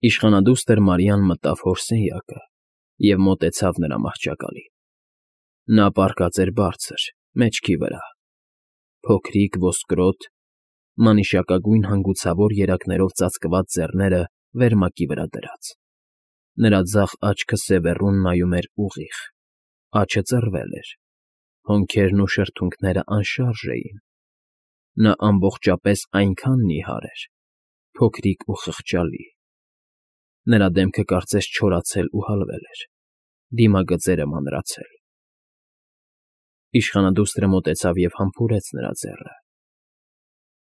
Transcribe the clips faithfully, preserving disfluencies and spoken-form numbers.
Իշխանադուստր Մարիան մտավ հոր սենյակը և մոտեցավ նրա մահճակալին. նա պառկած էր բարձր, մեջքի վրա, փոքրիկ, ոսկրոտ, մանիշակագույն հանգուցավոր երակներով ծածկված ձեռները վերմակի վրա դրած, նրա ձախ աչքը սևեռուն նայում էր ուղիղ, աջը ծռվել էր, հոնքերն ու շրթունքներն անշարժ էին, նա ամբողջապես այնքան նիհար էր, փոքրիկ ու խղճալի, նրա դեմքը կարծես չորացել ու հալվել էր, դիմագծերը մանրացել։ Իշխանադուստրը մոտեցավ և համբուրեց նրա ձեռքը,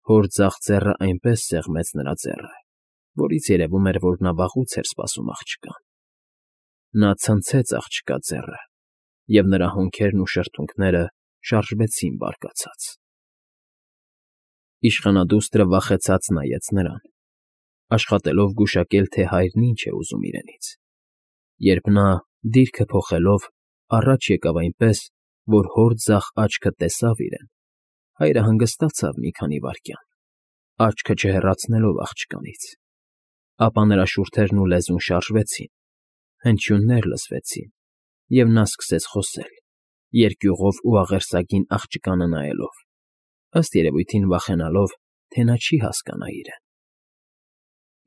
հոր ձախ ձեռը այնպես սեղմեց նրա ձեռքը, որից երևում էր, որ նա վաղուց էր սպասում աղջկան, նա ցնցեց աղջկա ձեռքը, և նրա հոնքերն ու շրթունքները շարժվեցին բարկացած։ Իշխանադուստրը վախեցած նայեց նրան, աշխատելով գուշակել, թե հայրն ինչ է ուզում իրենից, երբ նա, դիրքը փոխելով, առաջ եկավ այնպես, որ հոր ձախ աչքը տեսավ իրեն, հայրը հանգստացավ մի քանի վայրկյան, աչքը չհեռացնելով աղջկանից, ապա նրա շուրթերն ու լեզուն շարժվեցին, հնչյուններ լսվեցին, և նա սկսեց խոսել, երկյուղով ու աղերսագին աղջկանը նայելով, ըստ երևույթին վախենալով, թե նա չի հասկանա իրեն։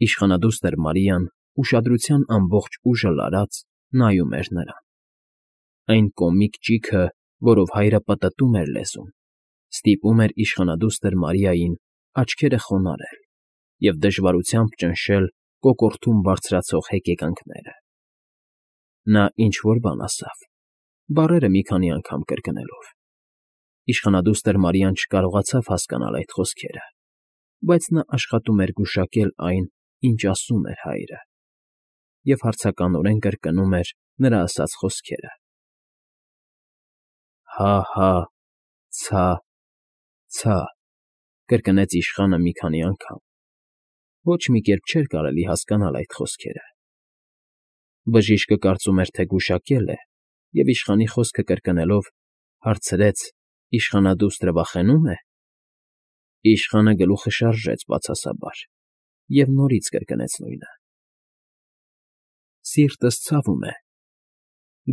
Իշխանադուստր Մարիան, ուշադրության ամբողջ ուժը լարած, նայում էր նրան։ Այն կոմիկ ճիգը, որով հայրը պտտում էր լեզուն, ստիպում էր իշխանադուստր Մարիային աչքերը խոնարհել և դժվարությամբ ճնշել կոկորդում բարձրացող հեկեկանքները։ Նա ինչ֊որ բան ասավ, բառերը մի քանի անգամ կրկնելով։ Իշխանադուստր Մարիան չկարողացավ հասկանալ այդ խոսքերը, բայց նա աշխատում էր գուշակել այն, ինչ ասում էր հայրը, և հարցականորեն կրկնում էր նրա ասած խոսքերը. «Հա՛֊հա՛, ց՛֊ց՛», կրկնեց իշխանը մի քանի անգամ, ոչ մի կերպ չէր կարելի հասկանալ այդ խոսքերը։ Բժիշկը կարծում էր, թե գուշակել է, և իշխանի խոսքը կրկնելով, հարցրեց. «Իշխանադուստրը վախենո՞ւմ է»։ Իշխանը գլուխը շարժեց բացասաբար և նորից կրկնեց նույնը։ «Սիրտս ցավում է»,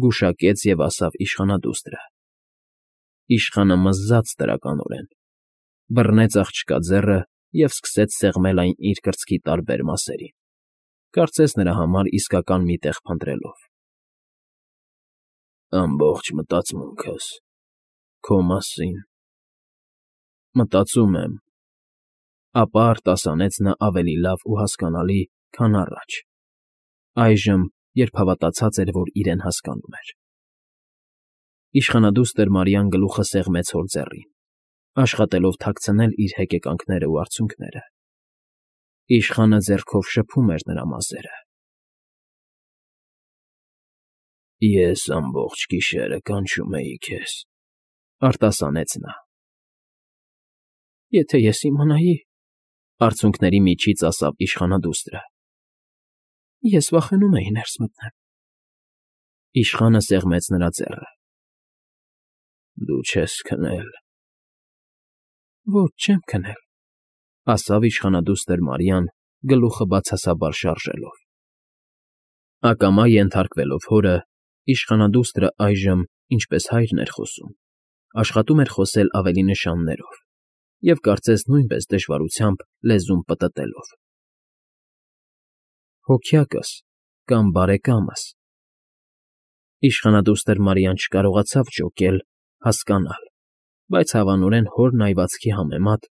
գուշակեց և ասավ իշխանադուստրը։ Իշխանը մզաց տրականորեն, բռնեց աղջկա ձեռը և սկսեց սեղմել այն իր կրծքի տարբեր մասերին, կարծես նրա համար իսկական մի տեղ փնտրելով։ «Ամբողջ մտածմունքս քո մասին, մտածում եմ», ապա արտասանեց նա ավելի լավ ու հասկանալի, քան առաջ, այժմ, երբ հավատացած էր, որ իրեն հասկանում էր։ Իշխանադուստր Մարիան գլուխը սեղմեց հոր ձեռին, աշխատելով թաքցնել իր հեկեկանքներն ու արցունքները։ Իշխանը ձեռքով շփում էր նրա մազերը։ «Ես ամբողջ գիշերը կանչում էի քեզ», արտասանեց նա։ «Եթե ես իմանայի…», արցունքների միջից ասավ իշխանադուստրը։ «Ես վախենում էի ներս մտնեմ»։ Իշխանը սեղմեց նրա ձեռքը։ «Դու չես քնել»։ «Ոչ, չեմ քնել», ասավ իշխանադուստր Մարիան, գլուխը բացասաբար շարժելով։ Ակամա ենթարկվելով հորը, իշխանադուստրը այժմ, ինչպես հայրն էր խոսում, աշխատում էր խոսել ավելի նշաններով և կարծես նույնպես դժվարությամբ լեզուն պտտելով։ «Հոգյակս կամ բարեկամս…»։ Իշխանադուստր Մարիան չկարողացավ ջոկել, հասկանալ, բայց հավանորեն հոր նայվածքի համեմատ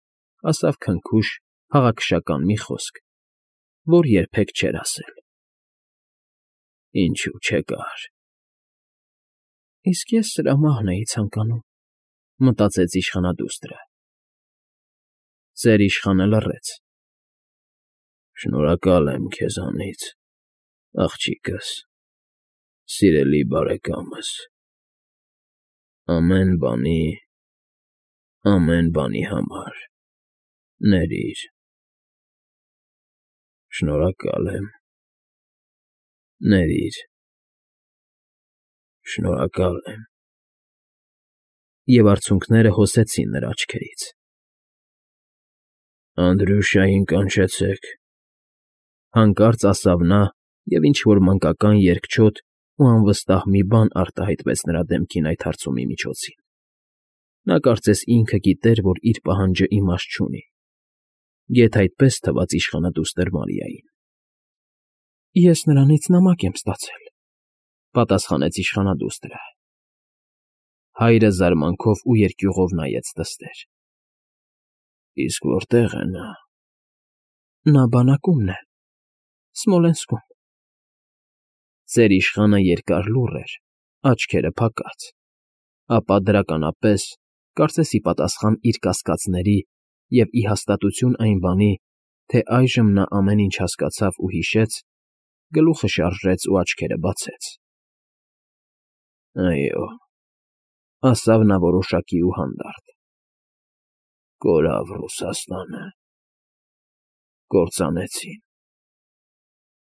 ասավ քնքուշ, փաղաքշական մի խոսք, որ երբեք չէր ասել։ «Ինչու չեկար»։ «Իսկ ես սրա մահն էի ցանկանում», մտածեց իշխանադուստրը։ Ծեր իշխանը լռեց։ «Շնորհակալ եմ քեզանից, աղջիկս, սիրելի բարեկամս, ամեն բանի, ամեն բանի համար, ներիր, շնորհակալ եմ, ներիր, շնորհակալ եմ»։ Եվ արցունքները հոսեցին նրա աչքերից։ «Անդրյուշային կանչեցեք»։ Հանկարծ ասավ նա և ինչ֊որ մանկական երկչոտ ու անվստահ մի բան արտահայտվեց նրա դեմքին այդ հարցումի միջոցին. նա կարծես ինքը գիտեր, որ իր պահանջը իմաստ չունի. գեթ այդպես թվաց իշխանադուստր Մարիային։ ֊ Ես նրանից նամակ եմ ստացել,֊ պատասխանեց իշխանադուստրը։ Հայրը զարմանքով ու երկյուղով նայեց տստեր։ ֊ Իսկ որտե՞ղ է նա։ ֊ Նա բանակումն է, Սմոլենսկում։ Ծեր իշխանը երկար լուռ էր, աչքերը փակած, ապա դրականապես, կարծես ի պատասխան իր կասկածների և ի հաստատություն այն բանի, թե այժմ նա ամեն ինչ հասկացավ ու հիշեց, գլուխը շարժեց ու աչքերը բացեց։ ֊ Այո,֊ ասավ նա որոշակի ու հանդարտ,֊ կորավ Ռուսաստանը, կործանեցին…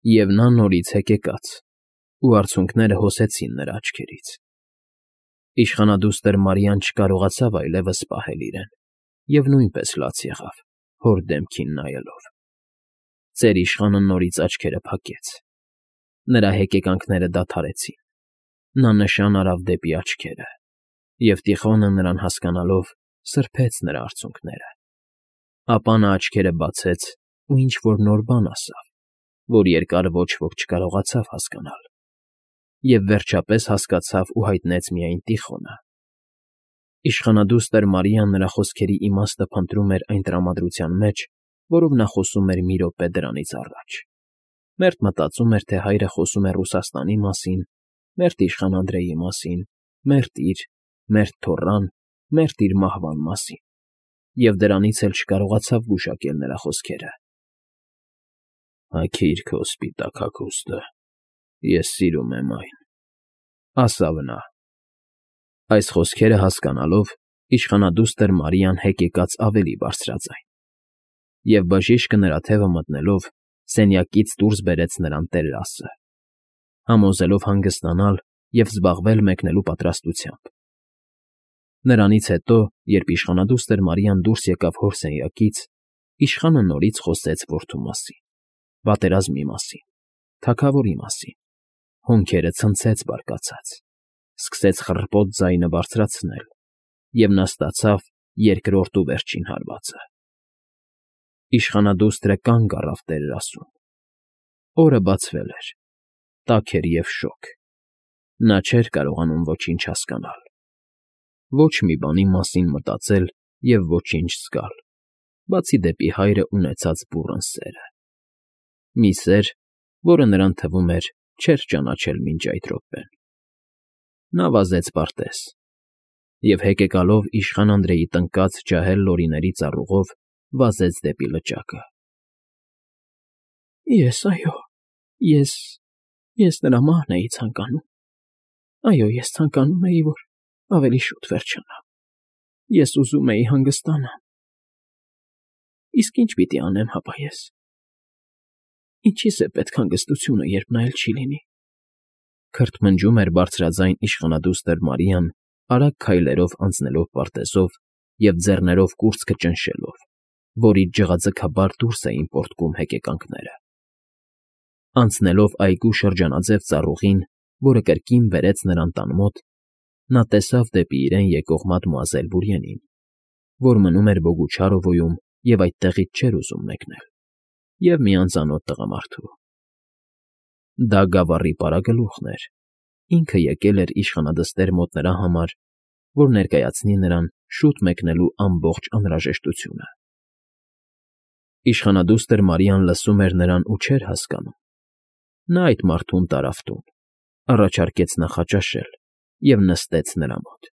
Եվ նա նորից հեկեկաց, ու արցունքները հոսեցին նրա աչքերից… Իշխանադուստր Մարիան չկարողացավ այլևս պահել իրեն և նույնպես լաց եղավ, հոր դեմքին նայելով։ Ծեր իշխանը նորից աչքերը փակեց, նրա հեկեկանքները դադարեցին, նա նշան արավ դեպի աչքերը, և Տիխոնը, նրան հասկանալով, սրբեց նրա արցունքները… Ապա նա աչքերը բացեց ու ինչ֊որ նոր բան ասավ, որ երկար ոչ ոք չկարողացավ հասկանալ, և վերջապես հասկացավ ու հայտնեց միայն Տիխոնը։ Իշխանադուստր Մարիան նրա խոսքերի իմաստը փնտրում էր այն տրամադրության մեջ, որով նա խոսում էր մի րոպե դրանից առաջ, մերթ մտածում էր, թե հայրը խոսում է Ռուսաստանի մասին, մերթ իշխան Անդրեի մասին, մերթ իր, մերթ թոռան, մերթ իր մահվան մասին, և դրանից էլ չկարողացավ գուշակել նրա խոսքերը։ ֊ Հագիր քո սպիտակ հագուստը, ես սիրում եմ այն,֊ ասավ նա։ Այս խոսքերը հասկանալով, իշխանադուստր Մարիան հեկեկաց ավելի բարձրաձայն, և բժիշկը նրա թևը մտնելով սենյակից դուրս բերեց նրան տերրասը, համոզելով հանգստանալ և զբաղվել մեկնելու պատրաստությամբ։ Նրանից հետո, երբ իշխանադուստր Մարիան դուրս եկավ հոր սենյակից, իշխանը նորից խոսեց որդու մասին, պատերազմի մասին, թագավորի մասին, հոնքերը ցնցեց բարկացած, սկսեց խռպոտ ձայնը բարձրացնել, և նա ստացավ երկրորդ ու վերջին հարվածը։ Իշխանադուստրը կանգ առավ տերրասում։ Օրը բացվել էր, տաք էր և շոգ, նա չէր կարողանում ոչինչ հասկանալ, ոչ մի բանի մասին մտածել և ոչինչ զգալ, բացի դեպի հայրը ունեցած բուռն սերը, մի սեր, որը նրան թվում էր չէր ճանաչել մինչ այդ րոպեն։ Նա վազեց պարտեզ և, հեկեկալով իշխան Անդրեի տնկած ջահել լորիների ծառուղով, վազեց դեպի լճակը։ ֊ Ես… այո, ես… ես նրա մահն էի ցանկանում… Այո, ես ցանկանում էի, որ ավելի շուտ վերջանա… Ես ուզում էի հանգստանամ… Իսկ ի՞նչ պիտի անեմ հապա ես… Ինչի՞ս է պետք հանգստությունը, երբ նա էլ չի լինի…֊ քրթմնջում էր բարձրաձայն իշխանադուստր Մարիան, արագ քայլերով անցնելով պարտեզով և ձեռներով կուրծքը ճնշելով, որից ջղաձգաբար դուրս էին պոռթկում հեկեկանքները։ Անցնելով այգու շրջանաձև ծառուղին, որը կրկին բերեց նրան տան մոտ, նա տեսավ դեպի իրեն եկող մադմուազել Բուրիենին, որ մնում էր Բոգուչարովոյում և այդտեղից չէր ուզում մեկնել, և մի անծանոթ տղամարդու։ Դա գավառի պարագլուխն էր, ինքը եկել էր իշխանադստեր մոտ նրա համար, որ ներկայացնի նրան շուտ մեկնելու ամբողջ անհրաժեշտությունը։ Իշխանադուստր Մարիան լսում էր նրան ու չէր հասկանում։ Նա այդ մարդուն տարավ տուն, առաջարկեց նախաճաշել և նստեց նրա մոտ։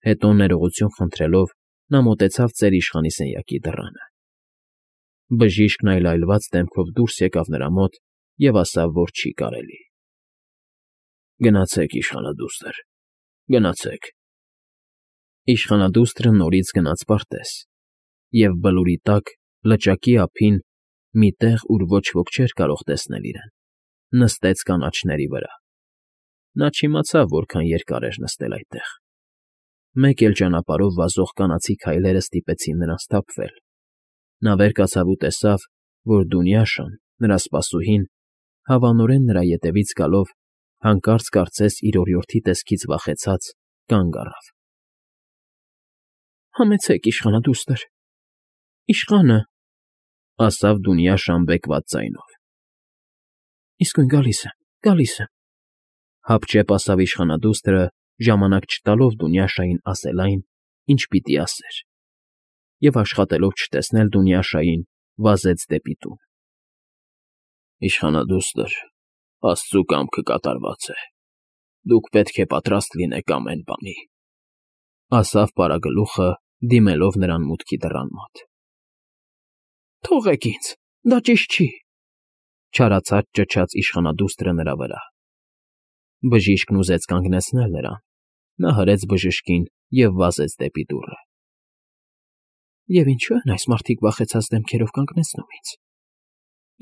Հետո, ներողություն խնդրելով, նա մոտեցավ ծեր իշխանի սենյակի դռանը։ Բժիշկն այլայլված դեմքով դուրս եկավ նրա մոտ և ասավ, որ չի կարելի։ ֊ Գնացեք, իշխանադուստր, գնացեք… Իշխանադուստրը նորից գնաց պարտեզ և բլուրի տակ, լճակի ափին, մի տեղ, ուր ոչ ոք չէր կարող տեսնել իրեն, նստեց կանաչների վրա։ Նա չիմացավ որքան երկար էր նստել այդտեղ։ Մեկ էլ ճանապարհով վազող կանացի քայլերը ստիպեցին նրան սթափվել։ Նա վեր կացավ ու տեսավ, որ Դունյաշան, նրա սպասուհին, հավանորեն նրա ետևից գալով, հանկարծ կարծես իր օրիորդի տեսքից վախեցած, կանգ առավ։ ֊ Համեցեք, իշխանադուստր, իշխանը,֊ ասավ Դունյա շամբեկված ձայնով։ ֊ Իսկույն գալիս եմ, գալիս եմ,֊ հապճեպ ասավ իշխանադուստրը, ժամանակ չտալով Դունյաշային ասել այն, ինչ պիտի ասեր, և աշխատելով չտեսնել Դունյաշային, վազեց դեպի տուն։ ֊ Իշխանադուստր, աստծու կամքը կատարված է, դուք պետք է պատրաստ լինեք ամեն բանի,֊ ասավ պարագլուխը, դիմելով նրան մուտքի դռան մոտ։ ֊ Թողեք ինձ, դա ճիշտ չի,֊ չարացած ճչաց իշխանադուստրը նրա վրա։ Բժիշկն ուզեց կանգնեցնել նրան, նա հրեց բժշկին և վազեց դեպի դուռը։ ֊ Եվ ինչո՞ւ են այս մարդիկ վախեցած դեմքերով կանգնեցնում ինձ։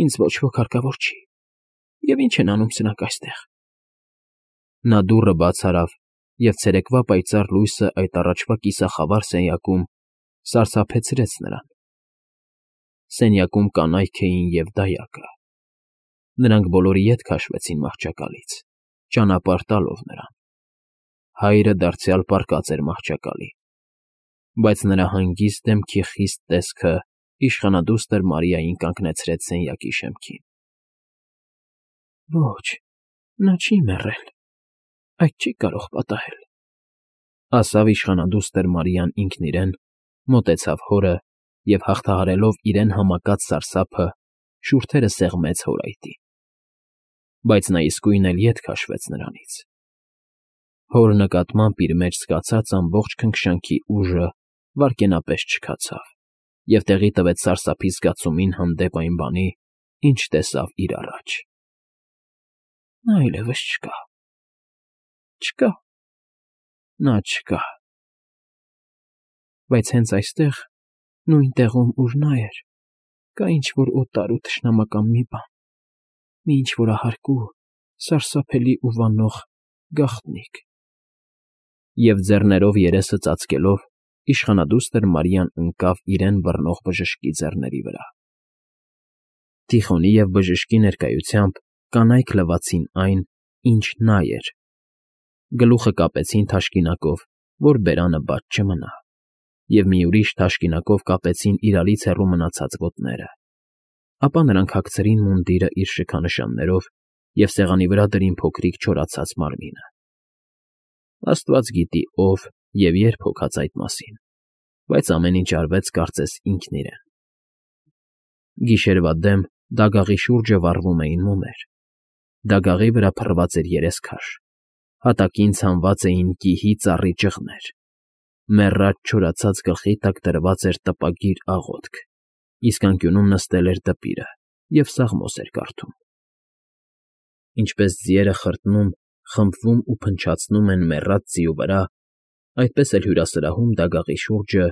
Ինձ ոչ ոք հարկավոր չի, և ի՞նչ են անում սրանք այստեղ։ Նա դուռը բաց արավ, և ցերեկվա պայծառ լույսը այդ առաջվա կիսախավար սենյակում սարսափեցրեց նրան։ Սենյակում կանայք էին և դայակը։ Նրանք բոլորը ետ քաշվեցին մահճակալից, ճանապարհ տալով նրան։ Հայրը դարձյալ պառկած էր մահճակալի, բայց նրա հանգիստ դեմքի խիստ տեսքը իշխանադուստր Մարիային կանգնեցրեց սենյակի շեմքին։ ֊ Ոչ, նա չի մեռել, այդ չի կարող պատահել,֊ ասավ իշխանադուստր Մարիան ինքն իրեն, մոտեցավ հորը և, հաղթահարելով իրեն համակած սարսափը, շուրթերը սեղմեց հորայտին։ Բայց նա իսկույն էլ ետ քաշվեց նրանից։ Հոր նկատմամբ իր մեջ զգացած ամբողջ քնքշանքի ուժը վայրկենապես չքացավ և տեղի տվեց սարսափի զգացումին հանդեպ այն բանի, ինչ տեսավ իր առաջ։ Նա այլևս չկա, չկա, նա չկա… Բայց հենց այստեղ, նույն տեղում, ուր նա էր, կա ինչ֊որ օտար ու թշնամական մի բան, մի ինչ֊որ ահարկու, սարսափելի ու վանող գաղտնիք… Եվ ձեռներով երեսը ծածկելով, իշխանադուստր Մարիան ընկավ իրեն բռնող բժշկի ձեռների վրա։ Տիխոնի և բժշկի ներկայությամբ կանայք լվացին այն, ինչ նա էր, գլուխը կապեցին թաշկինակով, որ բերանը բաց չմնա, և մի ուրիշ թաշկինակով կապեցին իրարից հեռու մնացած ոտները, ապա նրանք հագցրին մունդիրը իր շքանշաններով և սեղանի վրա դրին փոքրիկ չորացած մարմինը։ Աստված գիտի ով և երբ հոգաց այդ մասին, բայց ամեն ինչ արվեց կարծես ինքն իրեն։ Գիշերվա դեմ դագաղի շուրջը վառվում էին մոմեր, դագաղի վրա փռված էր երեսքաշ, հատակին ցանված էին կիհի ծառի ճղներ, մեռած չորացած գլխի տակ դրված էր տպագիր աղոթք, իսկ անկյունում նստել էր դպիրը և սաղմոս էր կարդում։ Ինչպես ձիերը խրտնում, խմբվում ու փնչացնում են մեռած ձիու վրա, այդպես էլ հյուրասրահում դագաղի շուրջը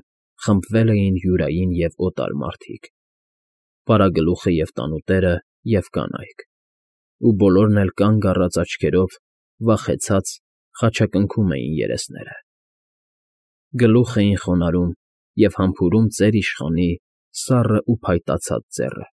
խմբվել էին յուրային և օտար մարդիկ, պարագլուխը և տանուտերը և կանայք, ու բոլորն էլ կանգ առած աչքերով, վախեցած, խաչակնքում էին երեսները։ Գլուխ էին խոնարհում և համբուրում ծեր իշխանի սառն ու փայտացած ձեռը։